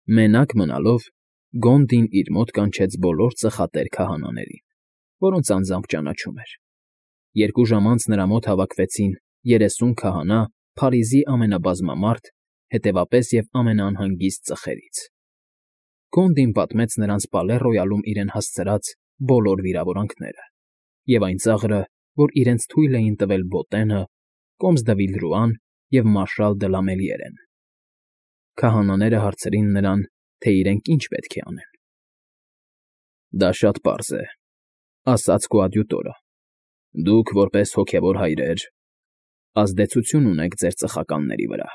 Մենակ մնալով Գոնդին իր մոտ կանչեց բոլոր ծխատեր քահանաներին, որոնց անձամբ ճանաչում էր։ 2 ժամ անց նրա մոտ հավաքվեցին 30 քահանա Փարիզի ամենաբազմամարդ, հետևապես և ամենաանհանգիստ ծխերից։ Գոնդին պատմեց նրանց Պալե Ռոյալում իրեն հասցրած բոլոր վիրավորանքները և այն ծաղրը, որ իրենց թույլ էին տվել Բոտենը, Կոմս դը Վիլրուան և մարշալ դը Լամելիերեն։ Քահանաները հարցրին նրան, թե իրենք ինչ պետք է անեն։ Դա շատ պարզ է, ասաց կոադյուտորը։ Դուք, որպես հոգևոր հայրեր, ազդեցություն ունեք ձեր ծխականների վրա։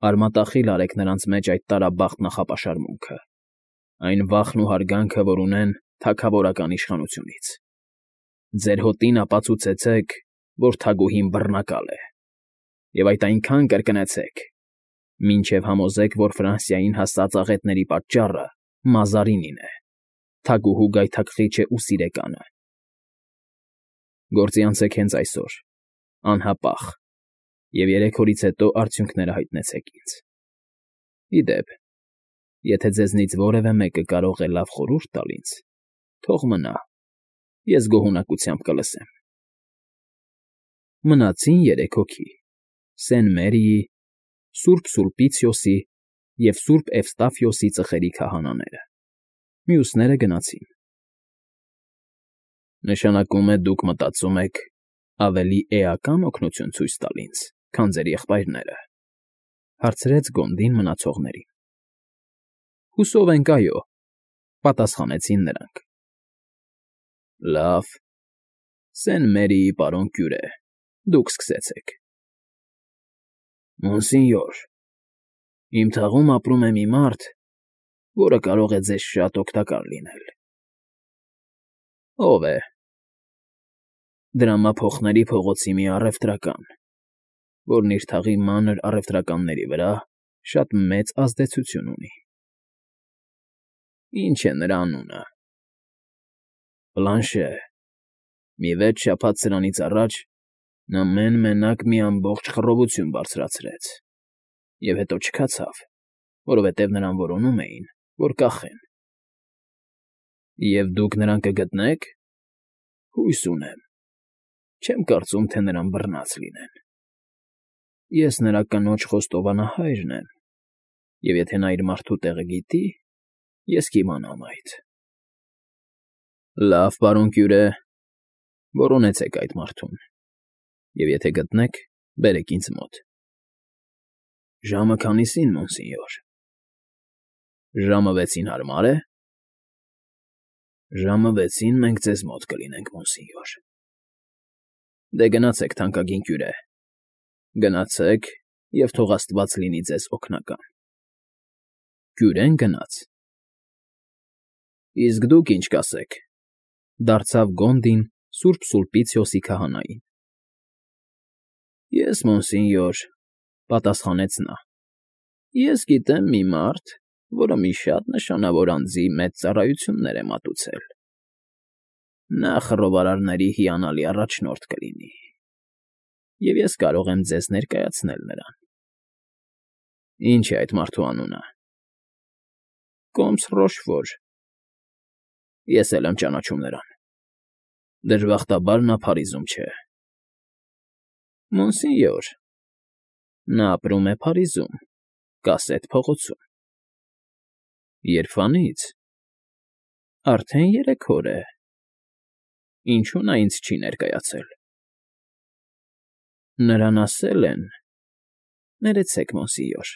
Արմատախիլ արեք նրանց մեջ այդ տարաբախտ նախապաշարմունքը, այն վախն ու հարգանքը, որ ունեն թագավորական իշխանությունից։ Ձեր հոտին ապացուցեցեք, որ թագուհին բռնակալ է, և այդ այնքան կրկնեցեք, մինչև համոզեք, որ Ֆրանսիային հասած աղետների պատճառը Մազարինին է, թագուհու գայթակղիչը ու սիրեկանը։ Գործի անցեք հենց այսօր, անհապաղ, և 3 օրից հետո արդյունքները հայտնեցեք ինձ։ Ի դեպ, եթե ձեզնից որևէ մեկը կարող է լավ խորհուրդ տալ ինձ, թող մնա, ես գոհունակությամբ կլսեմ։ Մնացին 3 հոգի՝ Սեն Մերիի, Սուրբ Սուլպիցիոսի և Սուրբ Էվստաֆիոսի ծխերի քահանաները։ Մյուսները գնացին։ Նշանակում է դուք մտածում եք ավելի էական օգնություն ցույց տալ ինձ, քան ձեր եղբայրները, հարցրեց Գոնդին մնացողներին։ Հուսով ենք, այո, պատասխանեցին նրանք։ Լավ, Սեն Մերիի պարոն կյուրե, դուք սկսեցեք։ Մոնսինյոր, իմ թաղում ապրում է մի մարդ, որը կարող է ձեզ շատ օգտակար լինել։ Ո՞վ է։ Դրամափոխների փողոցի մի առևտրական, որն իր թաղի մանր առևտրականների վրա շատ մեծ ազդեցություն ունի։ Ինչ է նրա անունը։ Բլանշե։ Մի 6 շաբաթ սրանից առաջ նա մեն֊մենակ մի ամբողջ խռովություն բարձրացրեց և հետո չքացավ, որովհետև նրան որոնում էին, որ կախեն։ Եվ դուք նրան կգտնե՞ք։ Հույս ունեմ։ Չեմ կարծում, թե նրան բռնած լինեն։ Ես նրա կնոջ խոստովանահայրն եմ, և եթե նա իր մարդու տեղը գիտի, ես կիմանամ այդ։ Լավ, պարոն կյուրե, որոնեցեք այդ մարդուն, և եթե գտնեք, բերեք ինձ մոտ։ Ժամը քանիսին, մոնսինյոր։ Ժամը 6-ին հարմա՞ր է։ Ժամը 6-ին մենք ձեզ մոտ կլինենք, մոնսինյոր։ Դե գնացեք, թանկագին կյուրե, գնացեք և թող աստված լինի ձեզ օգնական։ Կյուրեն գնաց։ Իսկ դուք ինչ կասեք, դարձավ Գոնդին Սուրբ Սուլպիցիոսի քահանային։ Ես, մոնսինյոր, պատասխանեց նա, ես գիտեմ մի մարդ, որը մի շատ նշանավոր անձի մեծ ծառայություններ է մատուցել։ Նա խռովարարների հիանալի առաջնորդ կլինի, և ես կարող եմ ձեզ ներկայացնել նրան։ Ինչ է այդ մարդու անունը։ Կոմս Ռոշֆոր։ Ես էլ եմ ճանաչում նրան։ Դժբախտաբար նա Փարիզում չէ։ Մոնսինյոր, նա ապրում է Փարիզում, Կասետ փողոցում։ Երբվանի՞ց։ Արդեն 3 օր է։ Ինչու նա ինձ չի ներկայացել։ Նրան ասել են… Ներեցեք, մոնսինյոր,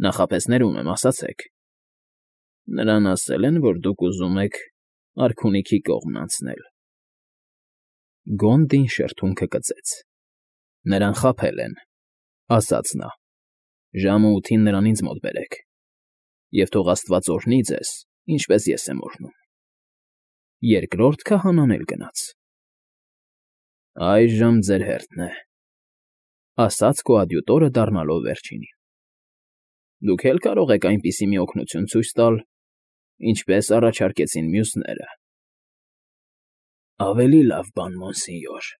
նախապես ներում եմ, ասացեք։ Նրան ասել են, որ դուք ուզում եք արքունիքի կողմն անցնել։ Գոնդին շրթունքը կծեց։ Նրան խաբել են, ասաց նա։ Ժամը 8-ին նրան ինձ մոտ բերեք, և թող աստված օրհնի ձեզ, ինչպես ես եմ օրհնում։ Երկրորդ քահանան էլ գնաց։ Այժմ ձեր հերթն է, ասաց կոադյուտորը դառնալով վերջինին։ Դուք էլ կարող եք այնպիսի մի օգնություն ցույց տալ, ինչպես առաջարկեցին մյուսները։ Ավելի լավ բան, մոնսինյոր։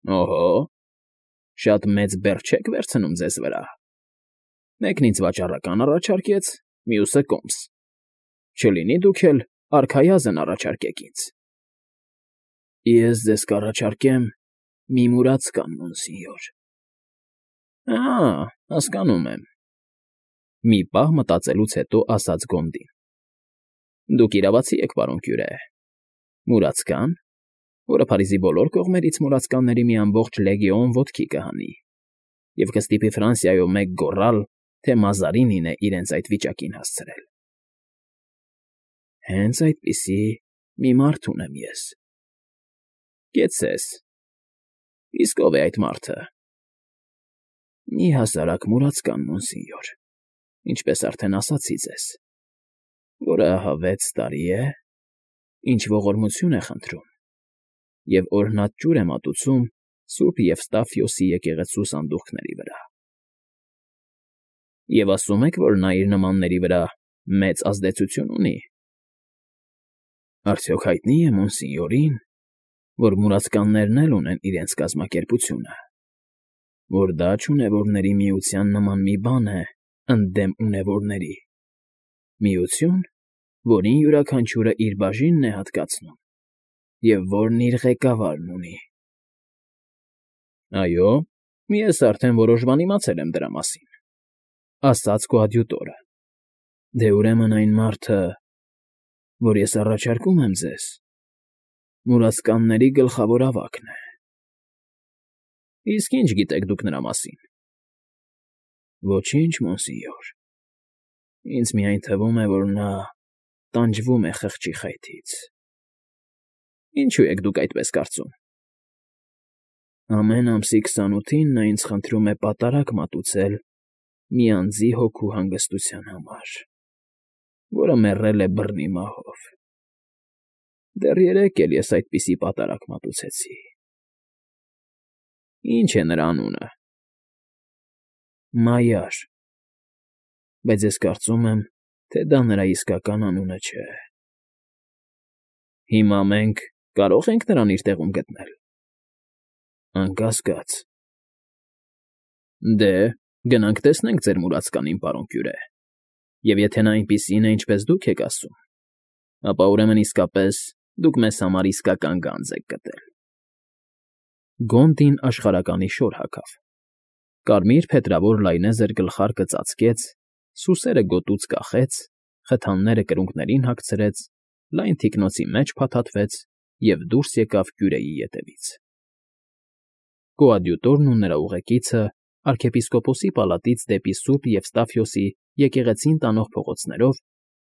Օհո, շատ մեծ բեռ չեք վերցնում ձեզ վրա։ Մեկն ինձ վաճառական առաջարկեց, մյուսը կոմս։ Չլինի դուք էլ արքայազն առաջարկեք ինձ։ Ես ձեզ կառաջարկեմ մի մուրացկան, մոնսինյոր։ Հասկանում եմ։ Մի պահ մտածելուց հետո ասաց Գոնդին։ Դուք իրավացի եք, պարոն Կյուրե։ Մուրացկան, որը Փարիզի բոլոր կողմերից մուրացկանների մի ամբողջ լեգիոն ոտքի կհանի, և կստիպի Ֆրանսիայով մեկ գոռալ, թե Մազարինին է իրենց այդ վիճակին հասցրել։ Հենց այդպիսի մի մարդ ունեմ ես։ Կեցցես։ Իսկ ով է այդ մարդը։ Մի հասարակ մուրացկան, մոնսինյոր, ինչպես արդեն ասացի ձեզ, որը ահա 6 տարի է, ինչ ողորմություն է խնդրում, և օրհնած ջուր է մատուցում Սուրբ Եվստաֆիոսի եկեղեցու սանդուղքների վրա։ Եվ ասում եք, որ նա իր նմանների վրա մեծ ազդեցություն ունի։ Արդյոք հայտնի է մոնսինյորին, որ մուրացկաններն էլ ունեն իրենց կազմակերպությունը, որ դա չունևորների միության նման մի բան է ընդդեմ ունևորների, միություն, որին յուրաքանչյուրը իր բաժինն է հատկացնում, և որն իր ղեկավարն ունի։ Այո, ես արդեն որոշ բան իմացել եմ դրա մասին, ասաց կոադյուտորը։ Դե ուրեմն այն մարդը, որ ես առաջարկում եմ ձեզ, մուրացկանների գլխավոր ավագն է։ Իսկ ինչ գիտեք դուք նրա մասին։ Ոչինչ, մոնսինյոր։ Ինձ միայն թվում է, որ նա տանջվում է խղճի խայթից։ Ինչու եք դուք այդպես կարծում։ Ամեն ամսի 28-ին նա ինձ խնդրում է պատարագ մատուցել մի անձի հոգու հանգստության համար, որը մեռել է բռնի մահով։ Դեռ երեկ էլ ես այդպիսի պատարագ մատուցեցի։ Ինչ է նրա անունը։ Մայար։ Բայց ես կարծում եմ, թե դա նրա իսկական անունը չէ։ Հիմա մենք կարո՞ղ ենք նրան իր տեղում գտնել։ Անկասկած։ Դե, գնանք տեսնենք ձեր մուրացկանին, պարոն Կյուրե, և եթե նա այնպիսին է, ինչպես դուք եք ասում, ապա ուրեմն իսկապես դուք մեզ համար իսկական գանձ եք գտել։ Գոնդին աշխարհականի շոր հագավ։ Կարմիր փետրավոր լայնեզր գլխարկը ծածկեց, սուսերը գոտուց կախեց, խթանները կրունկներին հագցրեց, լայն թիկնոցի մեջ փաթաթվեց և դուրս եկավ Կյուրեի ետևից։ Կոադյուտորն ու նրա ուղեկիցը arczepiskoposi պալատից դեպի Սուրբ Եվստաֆիոսի եկեղեցին տանող փողոցներով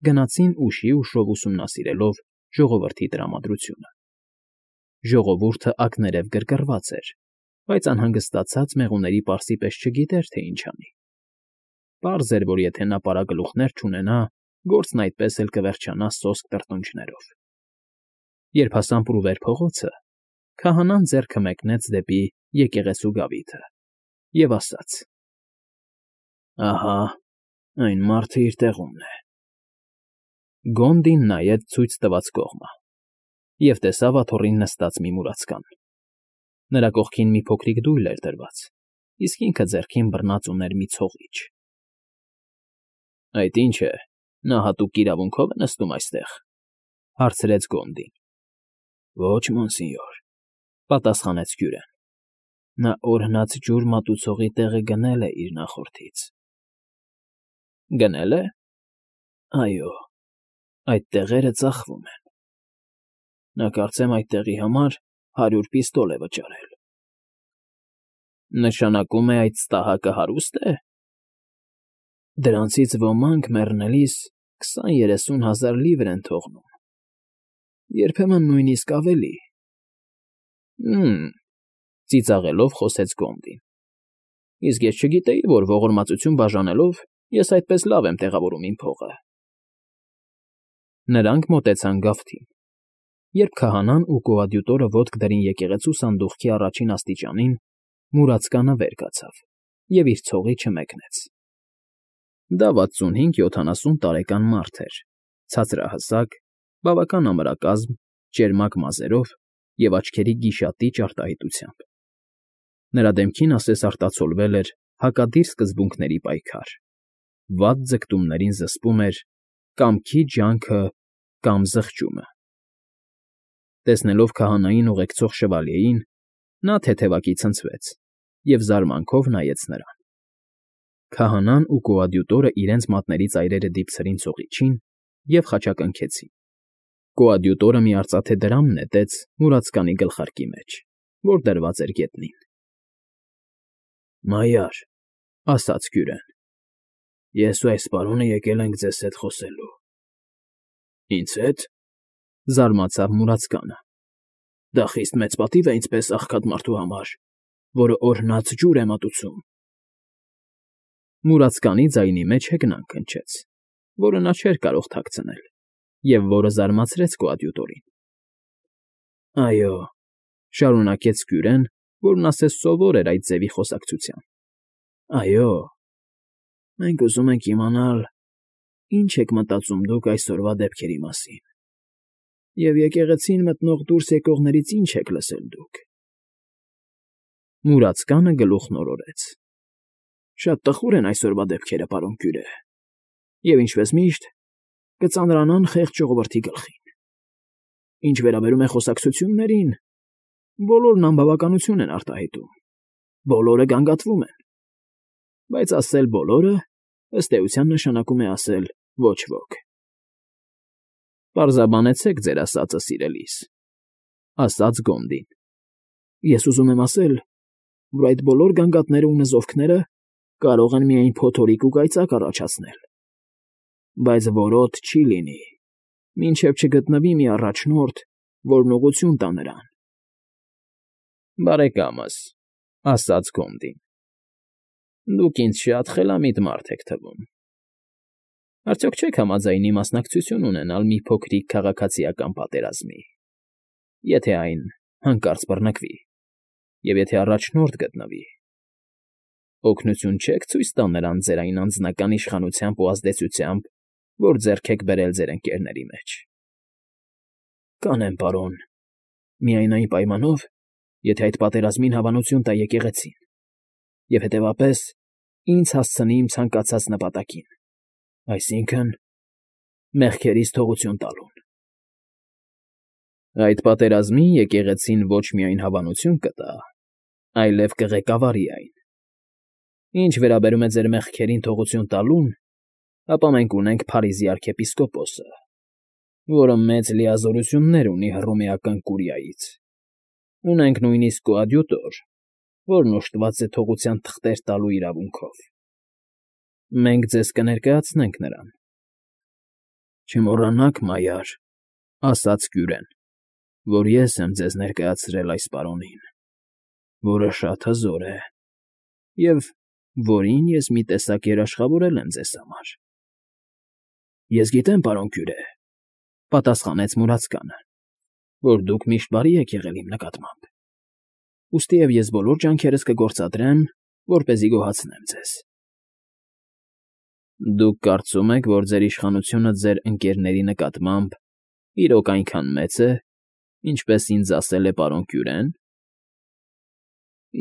գնացին ուշի ուշով ուսումնասիրելով ժողովրդի տրամադրությունը։ Ժողովուրդը ակներև գրգռված էր, բայց անհանգստացած մեղուների պարսի պես չգիտեր, թե ինչ անի։ Պարզ էր, որ եթե նա պարագլուխներ չունենա, գործն այդպես էլ կվերջանա սոսկ տրտունջներով։ Երբ հասան Պրուվեր փողոցը, քահանան ձեռքը մեկնեց դեպի եկեղեցու գավիթը և ասաց. Ահա, այն մարդը իր տեղումն է։ Գոնդին նայեց ցույց տված կողմը և տեսավ աթոռին նստած մի մուրացկան։ Նրա կողքին մի փոքրիկ դույլ էր դրված, իսկ ինքը ձեռքին բռնած ուներ մի ցողիչ։ Այդ ի՞նչ է, նա հատուկ իրավունքով է նստում այստեղ, հարցրեց Գոնդին։ Ոչ, մոնսինյոր, պատասխանեց Կյուրեն։ Նա օրհնած ջուր մատուցողի տեղը գնել է իր նախորդից։ Գնե՞լ է։ Այո, այդ տեղերը ծախվում են։ Նա կարծեմ այդ տեղի համար 100 պիստոլ է վճարել։ Նշանակում է այդ ստահակը հարուստ է։ Դրանցից ոմանք մեռնելիս 20-30 հազար լիվր են թողնում, երբեմն նույնիսկ ավելի։ Ծիծաղելով խոսեց Գոնդին։ Իսկ ես չգիտեի, որ ողորմածություն բաժանելով ես այդպես լավ եմ տեղավորում իմ փողը։ Նրանք մոտեցան գավթին։ Երբ քահանան ու կոադյուտորը ոտք դրին եկեղեցու սանդուղքի առաջին աստիճանին, մուրացկանը վեր կացավ և իր ցողիչը մեկնեց։ Դա 65-70 տարեկան մարդ էր, ցածրահասակ, բավական ամրակազմ, ճերմակ մազերով և աչքերի գիշատիչ արտահայտությամբ։ Նրա դեմքին ասես արտացոլվել էր հակադիր սկզբունքների պայքար։ վատ ձգտումներին զսպում էր կամքի ջանքը կամ զղջումը։ Տեսնելով քահանային ուղեկցող շվալյեին, նա թեթևակի ցնցվեց և զարմանքով նայեց նրան։ Քահանան ու կոադյուտորը իրենց մատների ծայրերը դիպցրին ծողիչին և խաչակնքեցին։ Կոադյուտորը մի արծաթե դրամ նետեց մուրացկանի գլխարկի մեջ, որ դրված էր գետնին։ «Մայար,֊ ասաց կյուրեն,֊ ես ու այս պարոնը եկել ենք ձեզ հետ խոսելու»։ «Ինձ հետ,֊ զարմացավ մուրացկանը,֊ դա խիստ մեծ պատիվ է ինձպես աղքատ մարդու համար, որը օրհնած ջուր է մատուցում»։ Մուրացկանի ձայնի մեջ հեգնանք հնչեց, որը նա չէր կարող թաքցնել, և որը զարմացրեց կոադյուտորին։ «Այո,֊ շարունակեց կյուրեն, որն ասես սովոր էր այդ ձևի խոսակցության,֊ այո, մենք ուզում ենք իմանալ, ինչ եք մտածում դուք այսօրվա դեպքերի մասին, և եկեղեցին մտնող դուրս եկողներից ինչ եք լսել դուք»։ Մուրացկանը գլուխն օրորեց։ «Շատ տխուր են այսօրվա դեպքերը, պարոն կյուրե, և, ինչպես միշտ, կծանրանան խեղճ ժողովրդի գլխին։ Ինչ վերաբերում է խոսակցություններին, բոլորն անբավականություն են արտահայտում, բոլորը գանգատվում են, բայց ասել բոլորը, ըստ էության, նշանակում է ասել ոչ ոք»։ «Պարզաբանեցեք ձեր ասածը, սիրելիս,֊ ասաց Գոնդին։ «Ես ուզում եմ ասել, որ այդ բոլոր գանգատները ու նզովքները կարող են միայն փոթորիկ ու կայծակ առաջացնել, բայց որոտ չի լինի, մինչև չգտնվի մի առաջնորդ, որն ուղղություն տա նրան»։ «Բարեկամս,֊ ասաց Գոնդին,֊ դուք ինձ շատ խելամիտ մարդ եք թվում։ Արդյոք չեք համաձայնի մասնակցություն ունենալ մի փոքրիկ քաղաքացիական պատերազմի, եթե այն հանկարծ բռնկվի, և եթե առաջնորդ գտնվի։ Օգնություն չեք ցույց տա նրան ձեր այն անձնական իշխանությամբ ու ազդեցությամբ, որ ձեռք եք բերել ձեր ընկերների մեջ»։ «Կանեմ, պարոն, միայն այն պայմանով, եթե այդ պատերազմին հավանություն տա եկեղեցին և, հետևաբար, ինձ հասցնի իմ ցանկացած նպատակին, այսինքն՝ մեղքերից թողություն տալուն»։ «Այդ պատերազմին եկեղեցին ոչ միայն հավանություն կտա, այլև կղեկավարի այն։ Ինչ վերաբերում է ձեր մեղքերին թողություն տալուն, ապա մենք ունենք Փարիզի արքեպիսկոպոսը, որը մեծ լիազորություններ ունի Հռոմեական կուրիայից, ունենք նույնիսկ կոադյուտոր, որն օժտված է թողության թղթեր տալու իրավունքով։ Մենք ձեզ կներկայացնենք նրան»։ «Չմոռանաք, մայար,֊ ասաց կյուրեն,֊ որ ես եմ ձեզ ներկայացրել այս պարոնին, որը շատ հզոր է, և որին ես մի տեսակ երաշխավորել եմ ձեզ համար»։ «Ես գիտեմ, պարոն կյուրե,֊ պատասխանեց մուրացկանը,֊ որ դուք միշտ բարի եք եղել իմ նկատմամբ, ուստիև ես բոլոր ջանքերս կգործադրեմ, որպեսզի գոհացնեմ ձեզ»։ «Դուք կարծում եք, որ ձեր իշխանությունը ձեր ընկերների նկատմամբ իրոք այնքան մեծ է, ինչպես ինձ ասել է պարոն Կյուրեն»։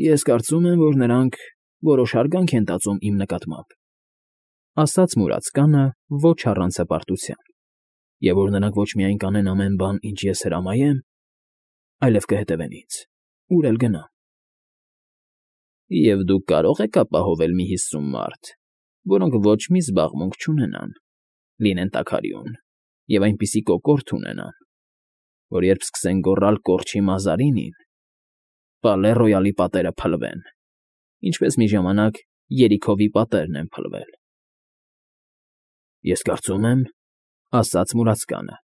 «Ես կարծում եմ, որ նրանք որոշ հարգանք են տածում իմ նկատմամբ», ասաց մուրացկանը ոչ առանց հպարտության, «և որ նրանք ոչ միայն կանեն ամեն բան, ինչ ես հրամայեմ, այլև կհետևեն ինձ, ուր էլ գնամ»։ «Եվ դուք կարող եք ապահովել մի 50 մարդ, որոնք ոչ մի զբաղմունք չունենան, լինեն տաքարյուն և այնպիսի կոկորդ ունենան, որ երբ սկսեն գոռալ կորչի Մազարինին, Պալե Ռոյալի պատերը փլվեն, ինչպես մի ժամանակ Երիքովի պատերն են փլվել»։ «Ես կարծում եմ,֊ ասաց մուրացկանը,֊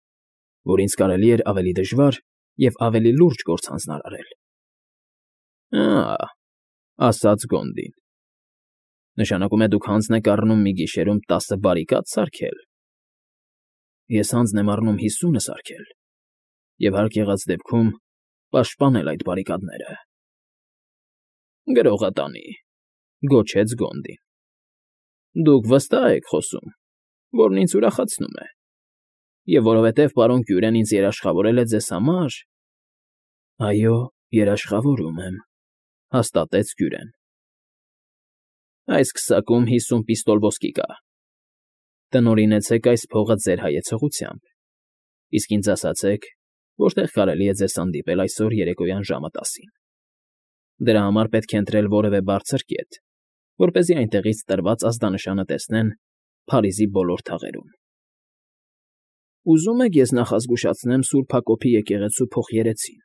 որ ինձ կարելի էր ավելի դժվար և ավելի լուրջ գործ հանձնարարել»։ «Ա՜,֊ ասաց Գոնդին,֊ նշանակում է դուք հանձն եք առնում մի գիշերում 10 բարիկադ սարքել»։ «Ես հանձն եմ առնում 50 սարքել և հարկ եղած դեպքում պաշտպանել այդ բարիկադները»։ «Գրողը տանի,֊ գոչեց Գոնդին,֊ դուք վստահ եք խոսում, որն ինձ ուրախացնում է, և որովհետև պարոն Կյուրեն ինձ երաշխավորել է ձեզ համար»։ «Այո, երաշխավորում եմ,֊ հաստատեց Կյուրեն։ «Այս քսակում 50 պիստոլ ոսկի կա, Տնօրինեցեք այս փողը ձեր հայեցողությամբ, իսկ ինձ ասացեք, որտեղ կարելի է ձեզ հանդիպել այսօր երեկոյան ժամը 10-ին. դրա համար պետք է ընտրել որևէ բարձր կետ, որպեսզի այնտեղից տրված ազդանշանը տեսնեն Փարիզի բոլոր թաղերում։ Ուզում եք ես նախազգուշացնեմ Սուրբ Հակոբի եկեղեցու փոխերեցին.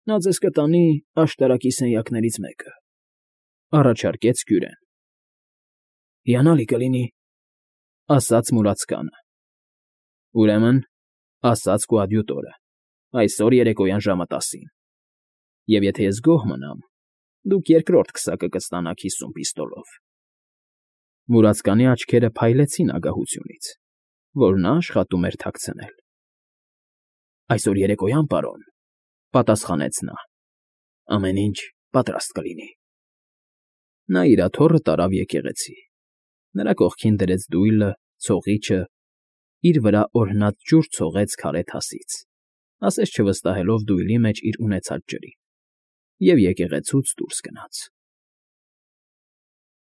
նա ձեզ կտանի աշտարակի սենյակներից մեկը, առաջարկեց Կյուրեն։ Հիանալի կլինի, ասաց մուրացկանը։ Ուրեմն, ասաց կոադյուտորը, այսօր երեկոյան ժամը 10-ին։ Եվ եթե ես գոհ մնամ, դուք երկրորդ քսակը կստանաք 50 պիստոլով։ Մուրացկանի աչքերը փայլեցին ագահությունից, որ նա աշխատում էր թաքցնել։ Այսօր երեկոյան, պարոն, պատասխանեց նա, ամեն ինչ պատրաստ կլինի։ Նա իր աթոռը տարավ եկեղեցի, նրա կողքին դրեց դույլը, ցողիչը, իր վրա օրհնած ջուր ցողեց քարե թասից, ասես չվստահելով դույլի մեջ իր ունեցած ջրին, և եկեղեցուց դուրս գնաց։